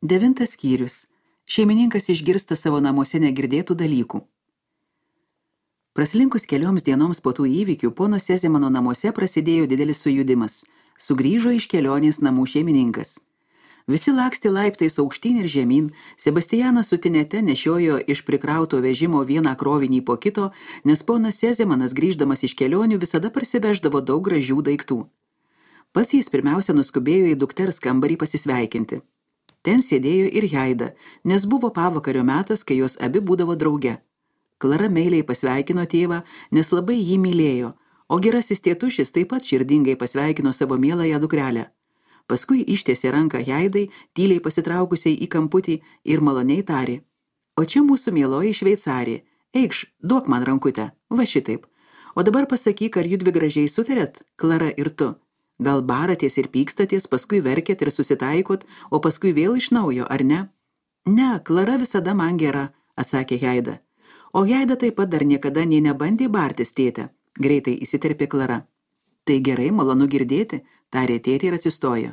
9 skyrius. Šeimininkas išgirsta savo namuose negirdėtų dalykų. Praslinkus kelioms dienoms po tų įvykių, pono Sezemano namuose prasidėjo didelis sujudimas. Sugrįžo iš kelionės namų šeimininkas. Visi lakstė laiptais aukštyn ir žemyn, Sebastianas su Tinete nešiojo iš prikrauto vežimo vieną krovinį po kito, nes ponas Sezemanas grįždamas iš kelionių visada parsiveždavo daug gražių daiktų. Pats jis pirmiausia nuskubėjo į dukters kambarį pasisveikinti. Ten sėdėjo ir Jaida, nes buvo pavakario metas, kai jos abi būdavo drauge. Klara meiliai pasveikino tėvą, nes labai jį mylėjo, o gerasis tėtušis taip pat širdingai pasveikino savo mieląją dukrelę. Paskui ištiesė ranką Jaidai, tyliai pasitraukusiai į kamputį ir maloniai tarė: "O čia mūsų mieloji šveicarė, eikš, duok man rankutę, va šitaip. O dabar pasakyk, ar judvi gražiai sutarėt, Klara ir tu. Gal baratės ir pykstatės, paskui verkėt ir susitaikot, o paskui vėl iš naujo, ar ne?" "Ne, Klara visada man gera", atsakė Jaida. "O Jaida taip pat dar niekada nė nebandė bartis, tėte", greitai įsiterpė Klara. "Tai gerai, malonu girdėti", tarė tėtė ir atsistojo.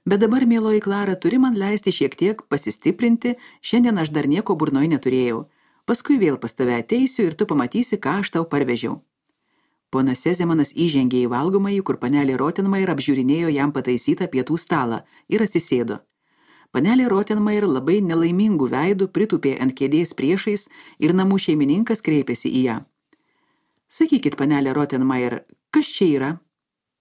"Bet dabar, mieloji Klara, turi man leisti šiek tiek pasistiprinti, šiandien aš dar nieko burnoj neturėjau. Paskui vėl pas tave ateisiu ir tu pamatysi, ką aš tau parvežiau." Ponas Sezemanas įžengė į valgomąjį, kur panelė Rottenmeier apžiūrinėjo jam pataisytą pietų stalą ir atsisėdo. Panelė Rottenmeier labai nelaimingų veidų pritūpė ant kėdės priešais ir namų šeimininkas kreipėsi į ją. "Sakykit, panelė Rottenmeier, kas čia yra?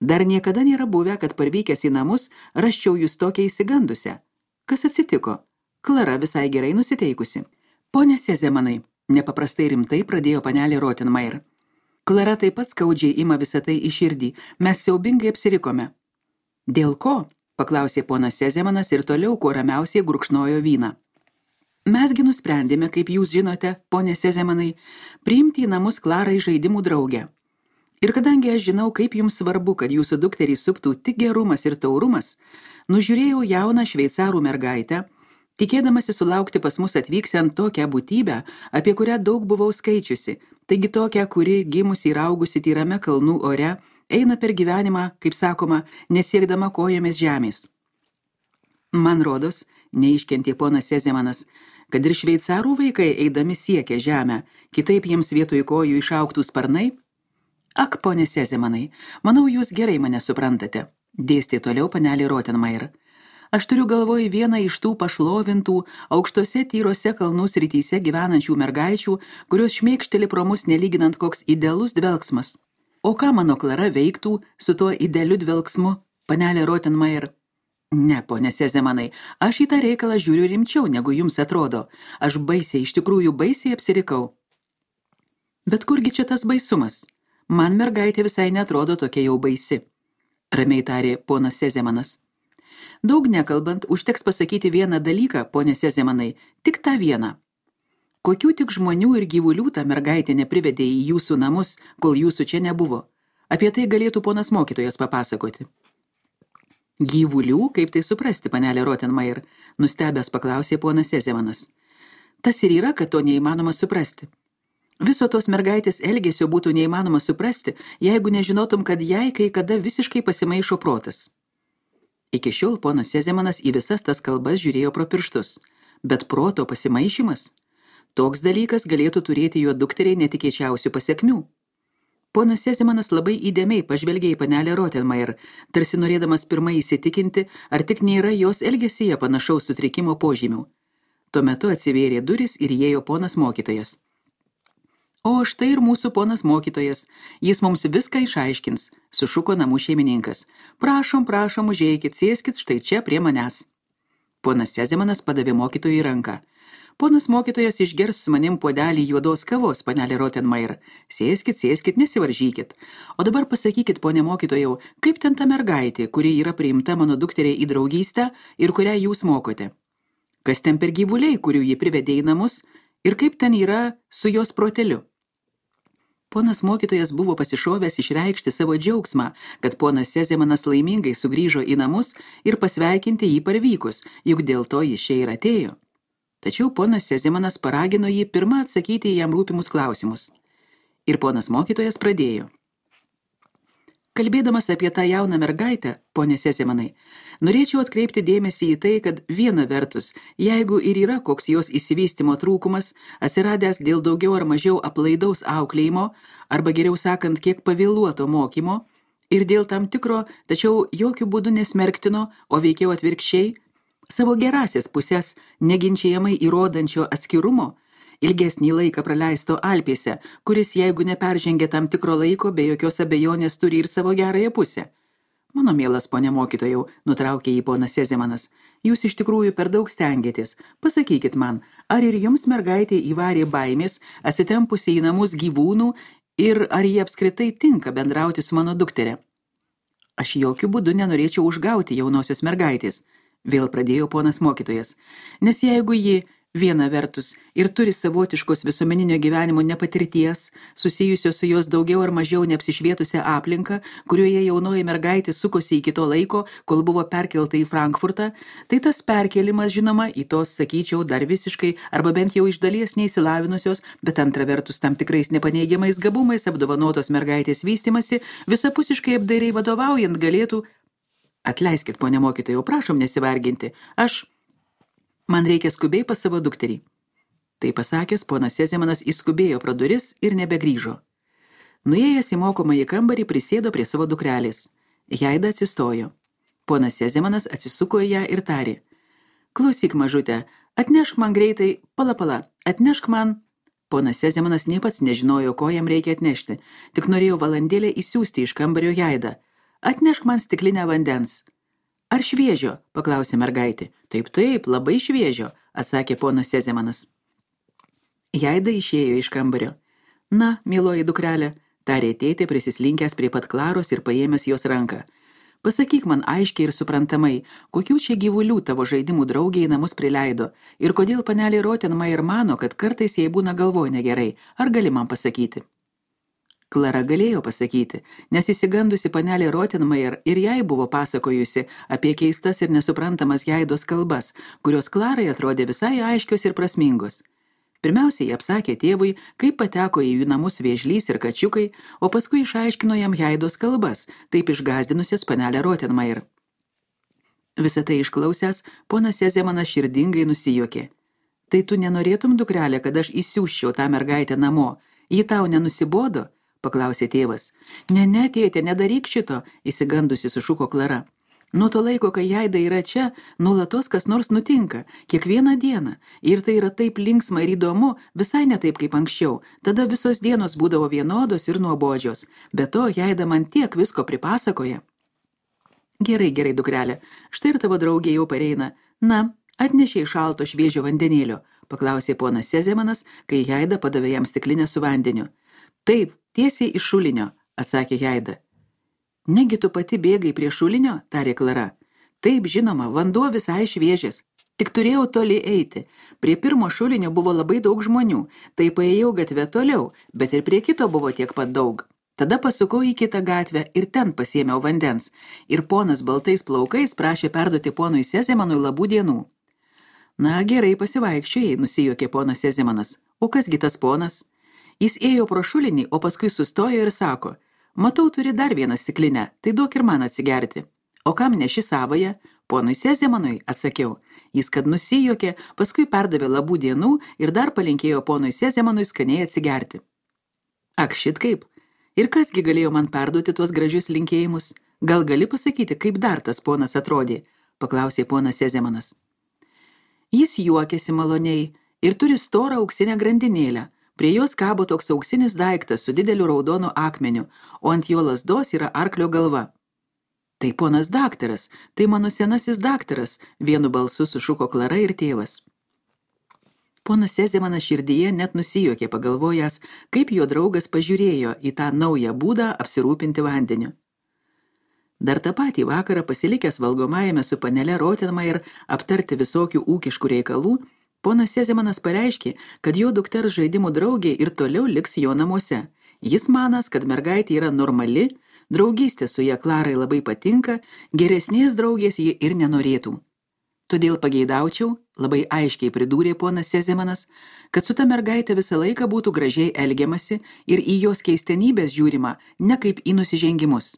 Dar niekada nėra buvę, kad parvykęs į namus rasčiau jūs tokią įsigandusią. Kas atsitiko? Klara visai gerai nusiteikusi." "Pone Sezemanai", nepaprastai rimtai pradėjo panelė Rottenmeier. "Klara taip pat skaudžiai ima visą tai į širdį. Mes siaubingai apsirikome." "Dėl ko?" paklausė ponas Sezemanas ir toliau kuo ramiausiai gurkšnojo vyną. "Mesgi nusprendėme, kaip jūs žinote, ponė Sezemanai, priimti į namus Klarą žaidimų draugę. Ir kadangi aš žinau, kaip jums svarbu, kad jūsų dukterį suptų tik gerumas ir taurumas, nužiūrėjau jauną šveicarų mergaitę, tikėdamasi sulaukti pas mus atvyksiant tokią būtybę, apie kurią daug buvau skaičiusi, taigi tokią, kuri gimusi ir augusi tyrame kalnų ore, eina per gyvenimą, kaip sakoma, nesiekdama kojomis žemės. Man rodos, neiškentė ponas Sezemanas, kad ir šveicarų vaikai eidami siekia žemę, kitaip jiems vietoj kojų išaugtų sparnai. Ak, ponė Sezemanai, manau, jūs gerai mane suprantate, dėstė toliau panelė Rottenmeier. Aš turiu galvoj vieną iš tų pašlovintų, aukštose tyrose kalnų srityse gyvenančių mergaičių, kurios šmėkšteli pro mus nelyginant koks idealus dvelksmas. O ką mano Klara veiktų su tuo idealiu dvelksmu, panelė Rottenmeier? Ne, ponė Sezemanai, aš į tą reikalą žiūriu rimčiau, negu jums atrodo. Aš baisiai, iš tikrųjų baisiai apsirikau. Bet kurgi čia tas baisumas? Man mergaitė visai netrodo tokia jau baisi, ramiai tarė ponas Sezemanas. Daug nekalbant, užteks pasakyti vieną dalyką, ponė Sezemanai, tik tą vieną. Kokių tik žmonių ir gyvulių ta mergaitė neprivedė į jūsų namus, kol jūsų čia nebuvo? Apie tai galėtų ponas mokytojas papasakoti. Gyvulių, kaip tai suprasti, panelė Rottenmeier, nustebęs paklausė ponas Sezemanas. Tas ir yra, kad to neįmanoma suprasti. Viso tos mergaitės elgesio būtų neįmanoma suprasti, jeigu nežinotum, kad jai kai kada visiškai pasimaišo protas. Iki šiol ponas Sezemanas į visas tas kalbas žiūrėjo pro pirštus, bet proto pasimaišymas? Toks dalykas galėtų turėti jo dukteriai netikėčiausių pasekmių. Ponas Sezemanas labai įdėmiai pažvelgė į panelę Rottenmeier, tarsi norėdamas pirmai įsitikinti, ar tik nėra jos elgesyje panašaus sutrikimo požymių. Tuo metu atsivėrė durys ir įėjo ponas mokytojas. O štai ir mūsų ponas mokytojas, jis mums viską išaiškins, sušuko namų šeimininkas. Prašom, užeikit, sėskit štai čia prie manęs. Ponas Sezemanas padavė mokytojui ranką. Ponas mokytojas išgers su manim puodelį juodos kavos, panelė Rottenmeier. Sėskit, nesivaržykit. O dabar pasakykit, ponė mokytojau, kaip ten ta mergaitė, kuri yra priimta mano dukteriai į draugystę ir kurią jūs mokote? Kas ten per gyvuliai, kurių ji privedė į namus, ir kaip ten yra su jos proteliu? Ponas mokytojas buvo pasišovęs išreikšti savo džiaugsmą, kad ponas Sezemanas laimingai sugrįžo į namus ir pasveikinti jį parvykus, juk dėl to jis čia ir atėjo. Tačiau ponas Sezemanas paragino jį pirmą atsakyti į jam rūpimus klausimus. Ir ponas mokytojas pradėjo. Kalbėdamas apie tą jauną mergaitę, ponė Sezemanai, norėčiau atkreipti dėmesį į tai, kad viena vertus, jeigu ir yra koks jos išsivystymo trūkumas, atsiradęs dėl daugiau ar mažiau aplaidaus auklėjimo, arba geriau sakant, kiek pavėluoto mokymo, ir dėl tam tikro, tačiau jokių būdų nesmerktino, o veikiau atvirkščiai, savo gerasias pusės neginčiamai įrodančio atskirumo, ilgesnį laiką praleisto Alpėse, kuris, jeigu neperžengia tam tikro laiko, be jokios abejonės turi ir savo gerąją pusę. Mano mielas ponė mokytojau, nutraukė jį ponas Sezemanas, jūs iš tikrųjų per daug stengiatės. Pasakykit man, ar ir jums mergaitė įvarė baimės, atsitempusi į namus gyvūnų ir ar jie apskritai tinka bendrauti su mano dukterė? Aš jokių būdų nenorėčiau užgauti jaunosios mergaitės, vėl pradėjo ponas mokytojas, nes jeigu ji viena vertus ir turi savotiškos visuomeninio gyvenimo nepatirties, susijusios su jos daugiau ar mažiau neapsišvietusią aplinką, kurioje jaunoji mergaitė sukosi iki to laiko, kol buvo perkelta į Frankfurtą, tai tas perkelimas, žinoma, į tos, sakyčiau, dar visiškai arba bent jau iš dalies neįsilavinusios, bet antra vertus tam tikrais nepaneigiamais gabumais apdovanotos mergaitės vystymasi, visapusiškai apdairiai vadovaujant galėtų... Atleiskit, ponė mokytojau, prašom nesivarginti, Man reikia skubiai pas savo dukterį. Tai pasakęs, ponas Sezemanas įskubėjo pro duris ir nebegrįžo. Nuėjęs į mokomąjį kambarį prisėdo prie savo dukrelės. Jaida atsistojo. Ponas Sezemanas atsisuko į ją ir tarė. Klausyk, mažutė, atnešk man greitai, pala, atnešk man... Ponas Sezemanas nei pats nežinojo, ko jam reikia atnešti, tik norėjo valandėlę įsiųsti iš kambario Jaidą. Atnešk man stiklinę vandens. Ar šviežio? Paklausė mergaitė. Taip, labai šviežio, atsakė ponas Sezemanas. Jaida išėjo iš kambario. Na, mieloji dukrelė, tarė tėtė prisislinkęs prie pat Klaros ir paėmęs jos ranką. Pasakyk man aiškiai ir suprantamai, kokių čia gyvulių tavo žaidimų draugė į namus prileido ir kodėl panelė Rottenmeier mano, kad kartais jai būna galvoj negerai. Ar gali man pasakyti? Klara galėjo pasakyti, nes įsigandusi panelė Rottenmeier ir jai buvo pasakojusi apie keistas ir nesuprantamas Jaidos kalbas, kurios Klarai atrodė visai aiškios ir prasmingos. Pirmiausiai apsakė tėvui, kaip pateko į jų namus vėžlys ir kačiukai, o paskui išaiškino jam Jaidos kalbas, taip išgąsdinusias panelę Rottenmeier. Visą tai išklausęs, ponas Sezemanas širdingai nusijuokė. Tai tu nenorėtum, dukrelė, kad aš įsiųsčiau tą mergaitę namo? Ji tau nenusibodo? Paklausė tėvas. Ne, tėtė, nedaryk šito, įsigandusi sušuko Klara. Nuo to laiko, kai Jaida yra čia, nuolatos kas nors nutinka, kiekvieną dieną. Ir tai yra taip linksma ir įdomu, visai ne taip kaip anksčiau. Tada visos dienos būdavo vienodos ir nuobodžios. Be to, Jaida man tiek visko pripasakoja. Gerai, dukrelė, štai ir tavo draugė jau pareina. Na, atnešiai šalto šviežio vandenėlio, paklausė ponas Sezemanas, kai Jaida padavė jam stiklinę su vandeniu. Taip, tiesiai iš šulinio, atsakė Jaida. Negi tu pati bėgai prie šulinio, tarė Klara. Taip, žinoma, vanduo visai šviežias. Tik turėjau toli eiti. Prie pirmo šulinio buvo labai daug žmonių, tai paėjau gatvę toliau, bet ir prie kito buvo tiek pat daug. Tada pasukau į kitą gatvę ir ten pasiėmiau vandens. Ir ponas baltais plaukais prašė perduoti ponui Sezemanui labų dienų. Na, gerai pasivaikščiojai, nusijuokė ponas Sezemanas. O kasgi tas ponas? Jis ėjo pro šulinį, o paskui sustojo ir sako, matau, turi dar vieną stiklinę, tai duok ir man atsigerti. O kam neši savoje? Ponui Sezemanui, atsakiau. Jis kad nusijuokė, paskui perdavė labų dienų ir dar palinkėjo ponui Sezemanui skaniai atsigerti. Ak, šit kaip. Ir kasgi galėjo man perduoti tuos gražius linkėjimus? Gal gali pasakyti, kaip dar tas ponas atrodė? Paklausė ponas Sezemanas. Jis juokėsi maloniai ir turi storą auksinę grandinėlę. Prie jos kabo toks auksinis daiktas su dideliu raudonu akmeniu, o ant jo lazdos yra arklio galva. Tai ponas daktaras, tai mano senasis daktaras, vienu balsu sušuko Klara ir tėvas. Ponas Sezemanas širdyje net nusijuokė pagalvojęs, kaip jo draugas pažiūrėjo į tą naują būdą apsirūpinti vandeniu. Dar tą patį vakarą pasilikęs valgomajame su panele Rottenmeier aptarti visokių ūkiškų reikalų, ponas Sezemanas pareiškė, kad jo dukters žaidimų draugė ir toliau liks jo namuose. Jis manas, kad mergaitė yra normali, draugystė su ja Klarai labai patinka, geresnės draugės ji ir nenorėtų. Todėl pageidaučiau, labai aiškiai pridūrė ponas Sezemanas, kad su ta mergaitė visą laiką būtų gražiai elgiamasi ir į jos keistenybės žiūrima ne kaip į nusižengimus.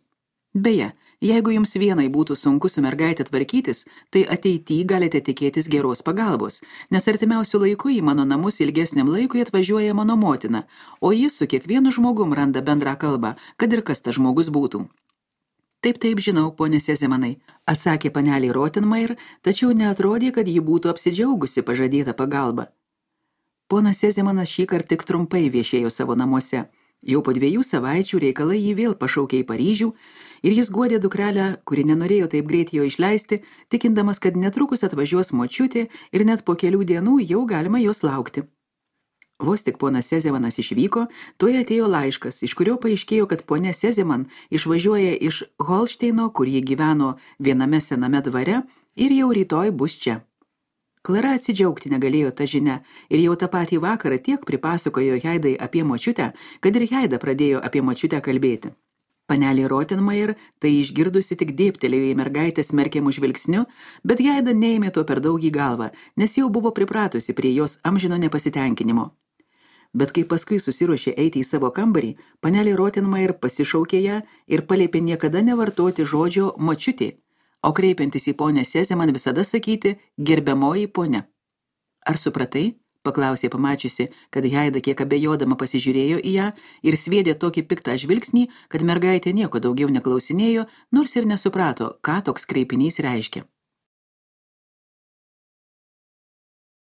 Beje, jeigu jums vienai būtų sunku su mergaitė tvarkytis, tai ateityje galite tikėtis geros pagalbos, nes artimiausiu laiku į mano namus ilgesniam laikui atvažiuoja mano motina, o jis su kiekvienu žmogum randa bendrą kalbą, kad ir kas tas žmogus būtų. Taip, žinau, ponė Sezemanai, atsakė panelė Rottenmeier, tačiau neatrodė, kad ji būtų apsidžiaugusi pažadėtą pagalbą. Ponas Sezemanas šįkart tik trumpai viešėjo savo namuose. Jau po 2 savaičių reikalai jį vėl pašaukė į Paryžių ir jis guodė dukrelę, kuri nenorėjo taip greit jo išleisti, tikindamas, kad netrukus atvažiuos močiutė ir net po kelių dienų jau galima jos laukti. Vos tik ponas Sezemanas išvyko, tuoj atėjo laiškas, iš kurio paaiškėjo, kad ponė Sezeman išvažiuoja iš Holšteino, kur ji gyveno viename sename dvare ir jau rytoj bus čia. Klara atsidžiaugti negalėjo tą žinią ir jau tą patį vakarą tiek pripasakojo Heidai apie močiutę, kad ir Heida pradėjo apie močiutę kalbėti. Panelė Rottenmeier tai išgirdusi tik dėbtelėjo į mergaitę smerkiamų žvilgsniu, bet Heida neėmė to per daug į galvą, nes jau buvo pripratusi prie jos amžino nepasitenkinimo. Bet kai paskui susiruošė eiti į savo kambarį, panelė Rottenmeier pasišaukė ją ir paliepė niekada nevartoti žodžio močiutė, o kreipiantis į ponę Sezeman visada sakyti gerbiamoji ponia. Ar supratai? Paklausė pamačiusi, kad Heida kiek abejodama pasižiūrėjo į ją ir sviedė tokį piktą žvilgsnį, kad mergaitė nieko daugiau neklausinėjo, nors ir nesuprato, ką toks kreipinys reiškia.